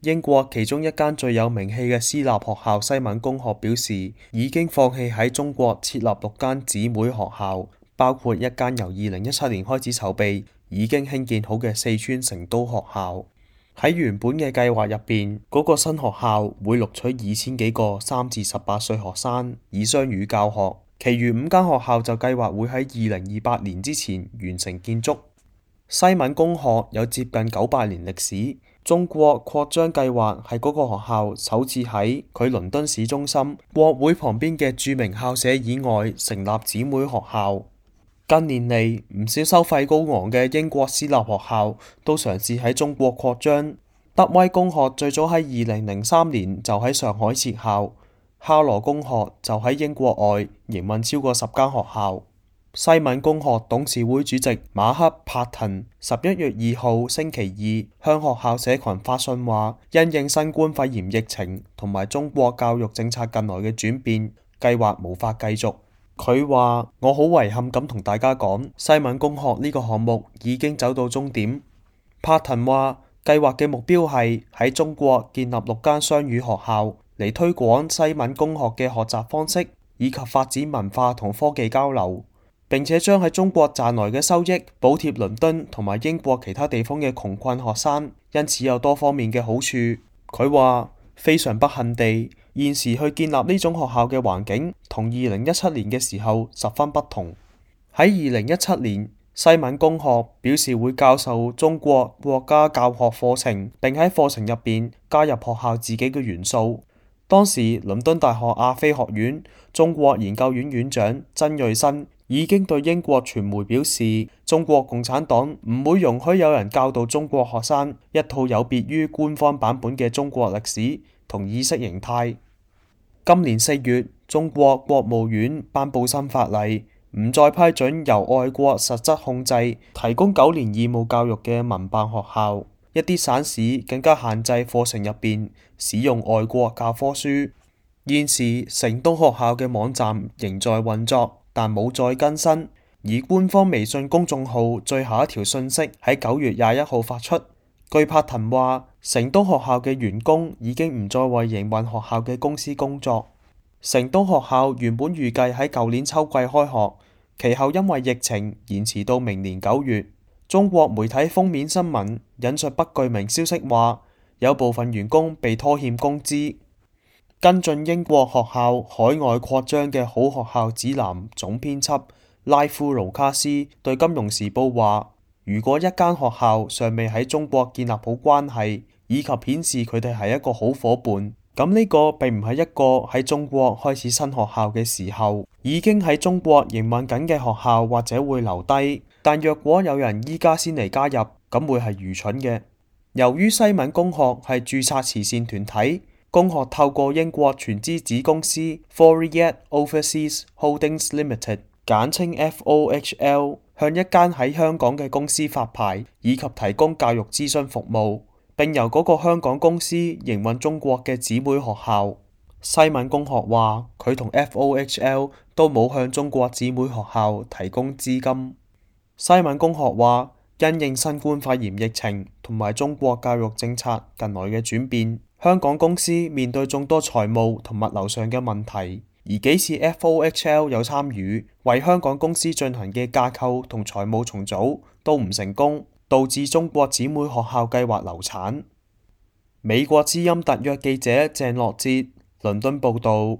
英國其中一間最有名氣嘅私立學校西敏公學表示，已經放棄喺中國設立6間姊妹學校，包括一間由2017年開始籌備、已經興建好嘅四川成都學校。喺原本嘅計劃入邊，嗰個新學校會錄取2000幾個3至18歲學生，以雙語教學。其餘5間學校就計劃會喺2028年之前完成建築。西敏公學有接近900年歷史。中國擴張計劃係嗰個學校首次喺佢倫敦市中心國會旁邊嘅著名校舍以外成立姊妹學校。近年嚟，唔少收費高昂嘅英國私立學校都嘗試喺中國擴張。德威公學最早喺2003年就喺上海設校，哈羅公學就喺英國外營運超過10間學校。西敏公學董事會主席馬克·帕滕11月2號星期二向學校社群發信話，因應新冠肺炎疫情同埋中國教育政策近來嘅轉變，計劃無法繼續。佢話：我好遺憾咁同大家講，西敏公學呢個項目已經走到終點。帕滕話，計劃嘅目標係喺中國建立6間雙語學校，嚟推廣西敏公學嘅學習方式，以及發展文化同科技交流。並且將喺中國賺來嘅收益補貼倫敦同埋英國其他地方嘅窮困學生，因此有多方面嘅好處。佢話非常不幸地，現時去建立呢種學校嘅環境同2017年嘅時候十分不同。喺2017年，西敏公學表示會教授中國國家教學課程，並喺課程入邊加入學校自己嘅元素。當時倫敦大學亞非學院中國研究院院長曾瑞新已經對英國傳媒表示，中國共產黨唔會容許有人教導中國學生一套有別於官方版本嘅中國歷史同意識形態。今年4月，中國國務院頒布新法例，唔再批准由外國實質控制提供9年義務教育嘅民辦學校，一啲省市更加限制課程入邊使用外國教科書。現時成都學校嘅網站仍在運作，但冇再更新，而官方微信公眾號最後一條信息喺9月21號發出。據帕滕話，成都學校嘅員工已經唔再為營運學校嘅公司工作。成都學校原本預計喺舊年秋季開學，其後因為疫情延遲到明年9月。中國媒體封面新聞引述不具名消息話，有部分員工被拖欠工資。跟進英國學校海外擴張嘅好學校指南總編輯拉夫盧卡斯對金融時報話，如果一間學校尚未喺中國建立好關係，以及顯示佢哋係一個好夥伴，咁呢個並唔係一個喺中國開始新學校嘅時候，已經喺中國營運緊嘅學校或者會留低，但若果有人依家先嚟加入，咁會係愚蠢嘅。由於西敏公學係註冊慈善團體，公學透過英國全資子公司 Fourier Overseas Holdings Limited 簡稱 FOHL 向一間喺香港嘅公司發牌，以及提供教育諮詢服務，並由嗰個香港公司營運中國嘅姊妹學校。西敏公學話佢同 FOHL 都冇向中國姊妹學校提供資金。西敏公學話，因應新冠肺炎疫情同埋中國教育政策近來嘅轉變，香港公司面對眾多財務同物流上嘅問題，而幾次 FOHL 有參與為香港公司進行嘅架構同財務重組都唔成功，導致中國姊妹學校計劃流產。美國之音特約記者鄭樂哲倫敦報導。